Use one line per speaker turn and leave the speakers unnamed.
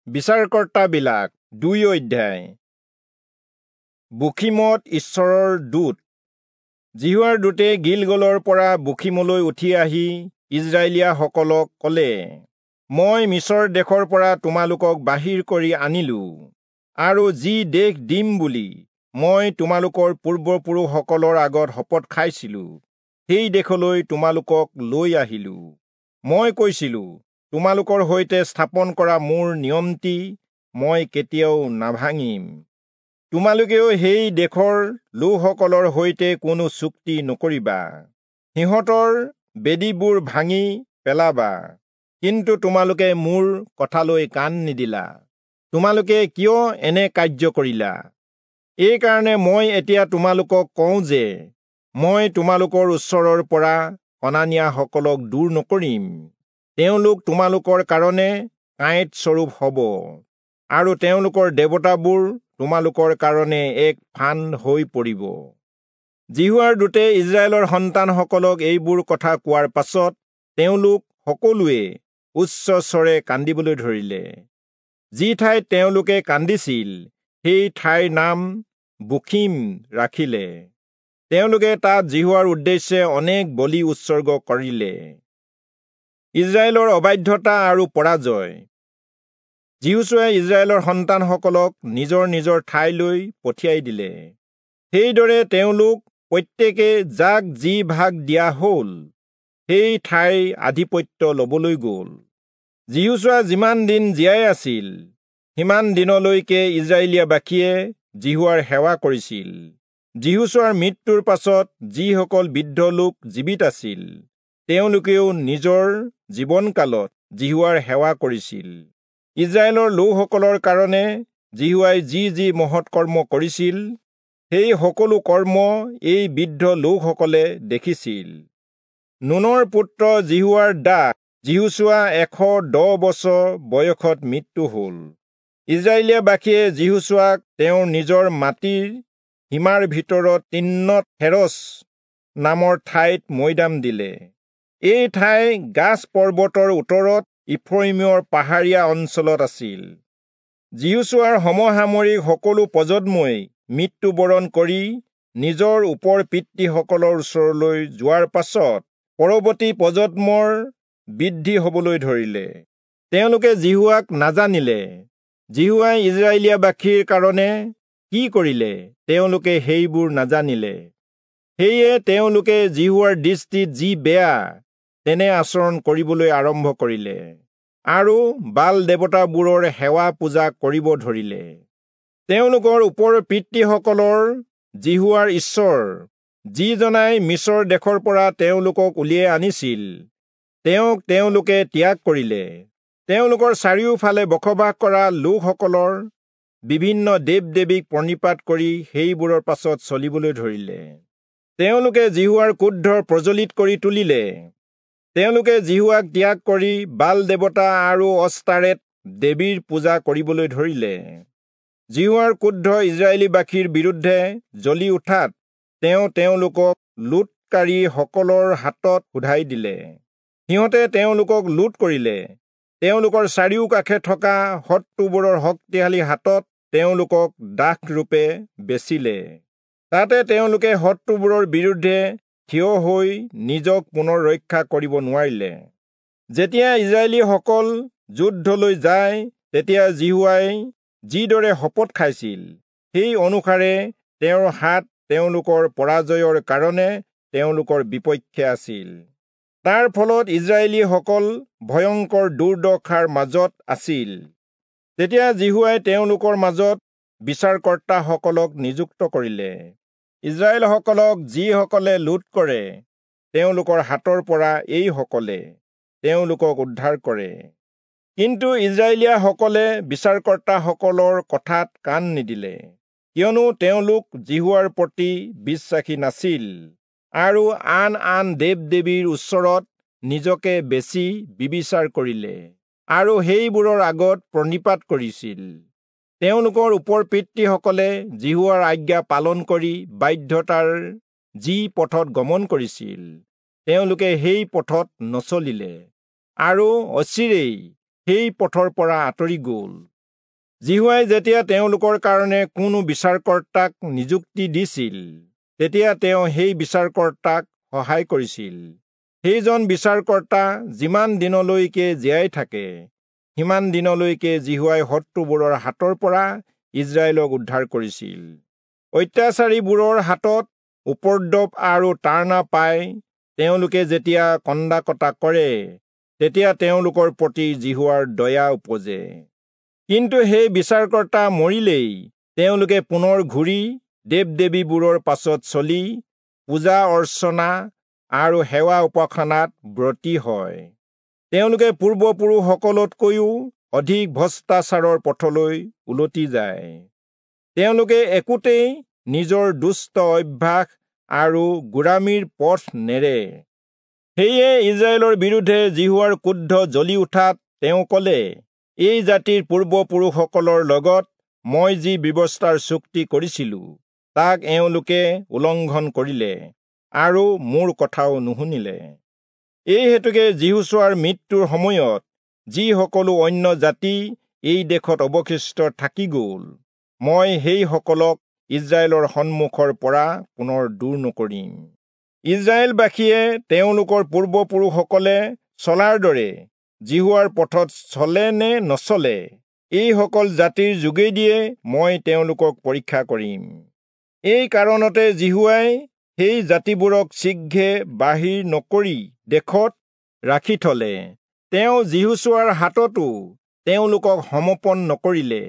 বিচাৰকৰ্তাবিলাক 2 অধ্যায়। বখিমত ঈশ্বৰৰ দূত। যিহোৱাৰ দূতে গিলগলৰ পৰা বখিমলৈ উঠি আহি ইস্ৰায়েলীয়াসকলক ক'লে, মই মিচৰ দেশৰ পৰা তোমালোকক বাহিৰ কৰি আনিলো আৰু যি দেশ দিম বুলি মই তোমালোকৰ পূৰ্বপুৰুষসকলৰ আগত শপত খাইছিলো, সেই দেশলৈ তোমালোকক লৈ আহিলো। মই কৈছিলো, তোমালোকৰ সৈতে স্থাপন কৰা মোৰ নিয়মটি মই কেতিয়াও নাভাঙিম। তোমালোকেও সেই দেশৰ লোকসকলৰ সৈতে কোনো চুক্তি নকৰিবা, সিহঁতৰ বেদীবোৰ ভাঙি পেলাবা। কিন্তু তোমালোকে মোৰ কথালৈ কাণ নিদিলা। তোমালোকে কিয় এনে কাৰ্য কৰিলা? এইকাৰণে মই এতিয়া তোমালোকক কওঁ যে মই তোমালোকৰ ওচৰৰ পৰা কনানীয়াসকলক দূৰ নকৰিম। তেওঁলোক তোমালোকৰ কাৰণে কাঁইট স্বৰূপ হ'ব আৰু তেওঁলোকৰ দেৱতাবোৰ তোমালোকৰ কাৰণে এক ফান্দ হৈ পৰিব। যিহোৱাৰ দূতে ইস্ৰায়েলৰ সন্তানসকলক এইবোৰ কথা কোৱাৰ পাছত তেওঁলোক সকলোৱে উচ্চস্বৰে কান্দিবলৈ ধৰিলে। যি ঠাইত তেওঁলোকে কান্দিছিল সেই ঠাইৰ নাম বখিম ৰাখিলে। তেওঁলোকে তাত যিহোৱাৰ উদ্দেশ্যে অনেক বলি উৎসৰ্গ কৰিলে। ইস্ৰায়েলৰ অবাধ্যতা আৰু পৰাজয়। যিহোচূৱাই ইস্ৰায়েলৰ সন্তানসকলক নিজৰ নিজৰ ঠাইলৈ পঠিয়াই দিলে। সেইদৰে তেওঁলোক প্ৰত্যেকে যাক যি ভাগ দিয়া হ'ল সেই ঠাইৰ আধিপত্য ল'বলৈ গ'ল। যিহোচূৱা যিমান দিন জীয়াই আছিল সিমান দিনলৈকে ইস্ৰায়েলীয়াবাসীয়ে যিহোৱাৰ সেৱা কৰিছিল। যিহোচূৱাৰ মৃত্যুৰ পাছত যিসকল বৃদ্ধ লোক জীৱিত আছিল তেওঁলোকেও নিজৰ জীৱনকালত যিহোৱাৰ সেৱা কৰিছিল। ইস্ৰায়েলৰ লোকসকলৰ কাৰণে যিহোৱাই যি যি মহৎ কৰ্ম কৰিছিল সেই সকলো কৰ্ম এই বৃদ্ধ লোকসকলে দেখিছিল। নুনৰ পুত্ৰ যিহোৱাৰ দাস যিহোচূৱা 110 বছৰ বয়সত মৃত্যু হ'ল। ইস্ৰায়েলীয়াবাসীয়ে যিহোচূৱাক তেওঁৰ নিজৰ মাটিৰ সীমাৰ ভিতৰত তিন্নত হেৰছ নামৰ ঠাইত মৈদাম দিলে। এই ঠাই গাছ পৰ্বতৰ উত্তৰত ইফ্ৰয়িমৰ পাহাৰীয়া অঞ্চলত আছিল। যিহোচূৱাৰ সমসাময়িক সকলো প্ৰজন্মই মৃত্যুবৰণ কৰি নিজৰ ওপৰ পিতৃসকলৰ ওচৰলৈ যোৱাৰ পাছত পৰৱৰ্তী প্ৰজন্মৰ বৃদ্ধি হ'বলৈ ধৰিলে। তেওঁলোকে যিহোৱাক নাজানিলে। যিহোৱাই ইস্ৰায়েলীয়াবাসীৰ কাৰণে কি কৰিলে তেওঁলোকে সেইবোৰ নাজানিলে। সেয়ে তেওঁলোকে যিহোৱাৰ দৃষ্টিত যি বেয়া তেনে আচৰণ কৰিবলৈ আৰম্ভ কৰিলে আৰু বাল দেৱতাবোৰৰ সেৱা পূজা কৰিব ধৰিলে। তেওঁলোকৰ ওপৰ পিতৃসকলৰ যিহোৱাৰ ঈশ্বৰ, যিজনাই মিচৰ দেশৰ পৰা তেওঁলোকক উলিয়াই আনিছিল, তেওঁক তেওঁলোকে ত্যাগ কৰিলে। তেওঁলোকৰ চাৰিওফালে বসবাস কৰা লোকসকলৰ বিভিন্ন দেৱ দেৱীক প্ৰণিপাত কৰি সেইবোৰৰ পাছত চলিবলৈ ধৰিলে। তেওঁলোকে যিহোৱাৰ ক্ৰোধ প্ৰজ্বলিত কৰি তুলিলে। তেওঁলোকে যিহোৱাক ত্যাগ কৰি বাল দেৱতা আৰু অস্তাৰেত দেৱীৰ পূজা কৰিবলৈ ধৰিলে। যিহোৱাৰ ক্ৰোধ ইস্ৰায়েলীবাসীৰ বিৰুদ্ধে জ্বলি উঠাত তেওঁ তেওঁলোকক লুটকাৰীসকলৰ হাতত শোধাই দিলে। সিহঁতে তেওঁলোকক লুট কৰিলে। তেওঁলোকৰ চাৰিওকাষে থকা শত্ৰুবোৰৰ শক্তিশালী হাতত তেওঁলোকক দাসৰূপে বেচিলে। তাতে তেওঁলোকে শত্ৰুবোৰৰ বিৰুদ্ধে থিয় হৈ নিজক পুনৰ ৰক্ষা কৰিব নোৱাৰিলে। যেতিয়া ইস্ৰায়েলীসকল যুদ্ধলৈ যায় তেতিয়া যিহোৱাই যিদৰে শপত খাইছিল সেই অনুসাৰে তেওঁৰ হাত তেওঁলোকৰ পৰাজয়ৰ কাৰণে তেওঁলোকৰ বিপক্ষে আছিল। তাৰ ফলত ইস্ৰায়েলীসকল ভয়ংকৰ দুৰ্দশাৰ মাজত আছিল। তেতিয়া যিহোৱাই তেওঁলোকৰ মাজত বিচাৰকৰ্তাসকলক নিযুক্ত কৰিলে। ইস্ৰায়েলসকলক যিসকলে লুট কৰে তেওঁলোকৰ হাতৰ পৰা এইসকলে তেওঁলোকক উদ্ধাৰ কৰে। কিন্তু ইস্ৰায়েলীয়াসকলে বিচাৰকৰ্তাসকলৰ কথাত কাণ নিদিলে, কিয়নো তেওঁলোক যিহোৱাৰ প্ৰতি বিশ্বাসী নাছিল আৰু আন আন দেৱ দেৱীৰ ওচৰত নিজকে বেছি বিবিচাৰ কৰিলে আৰু সেইবোৰৰ আগত প্ৰণিপাত কৰিছিল। তেওঁলোকৰ ওপৰ পিতৃসকলে যিহোৱাৰ আজ্ঞা পালন কৰি বাধ্যতাৰ যি পথত গমন কৰিছিল তেওঁলোকে সেই পথত নচলিলে আৰু অচিৰেই সেই পথৰ পৰা আঁতৰি গ'ল। যিহোৱাই যেতিয়া তেওঁলোকৰ কাৰণে কোনো বিচাৰকৰ্তাক নিযুক্তি দিছিল, তেতিয়া তেওঁ সেই বিচাৰকৰ্তাক সহায় কৰিছিল। সেইজন বিচাৰকৰ্তা যিমান দিনলৈকে জীয়াই থাকে, সিমান দিনলৈকে যিহোৱাই শত্ৰুবোৰৰ হাতৰ পৰা ইস্ৰায়েলক উদ্ধাৰ কৰিছিল। অত্যাচাৰীবোৰৰ হাতত উপদ্ৰৱ আৰু তাড়না পাই তেওঁলোকে যেতিয়া কন্দা কটা কৰে, তেতিয়া তেওঁলোকৰ প্ৰতি যিহোৱাৰ দয়া উপজে। কিন্তু সেই বিচাৰকৰ্তা মৰিলেই তেওঁলোকে পুনৰ ঘূৰি দেৱ দেৱীবোৰৰ পাছত চলি পূজা অৰ্চনা আৰু সেৱা উপাসনাত ব্ৰতী হয়। তেওঁলোকে পূৰ্বপুৰুষসকলতকৈও অধিক ভ্ৰষ্টাচাৰৰ পথলৈ উলটি যায়। তেওঁলোকে একোতেই নিজৰ দুষ্ট অভ্যাস আৰু গোড়ামীৰ পথ নেৰে। সেয়ে ইস্ৰায়েলৰ বিৰুদ্ধে যিহোৱাৰ ক্ৰোধ জ্বলি উঠাত তেওঁ ক'লে, এই জাতিৰ পূৰ্বপুৰুষসকলৰ লগত মই যি ব্যৱস্থাৰ চুক্তি কৰিছিলো, তাক এওঁলোকে উলংঘন কৰিলে আৰু মোৰ কথাও নুশুনিলে। এই হেতুকে যিহোচূৱাৰ মৃত্যুৰ সময়ত যি সকলো অন্য জাতি এই দেশত অৱশিষ্ট থাকি গ'ল, মই সেইসকলক ইস্ৰায়েলৰ সন্মুখৰ পৰা পুনৰ দূৰ নকৰিম। ইস্ৰায়েলবাসীয়ে তেওঁলোকৰ পূৰ্বপুৰুষসকলে চলাৰ দৰে যিহোৱাৰ পথত চলে নে নচলে, এইসকল জাতিৰ যোগেদিয়ে মই তেওঁলোকক পৰীক্ষা কৰিম। এই কাৰণতে যিহোৱাই সেই জাতিবোৰক শীঘ্ৰে বাহিৰ নকৰি দেশত ৰাখি থলে। তেওঁ যিহোচূৱাৰ হাততো তেওঁলোকক সমৰ্পণ নকৰিলে।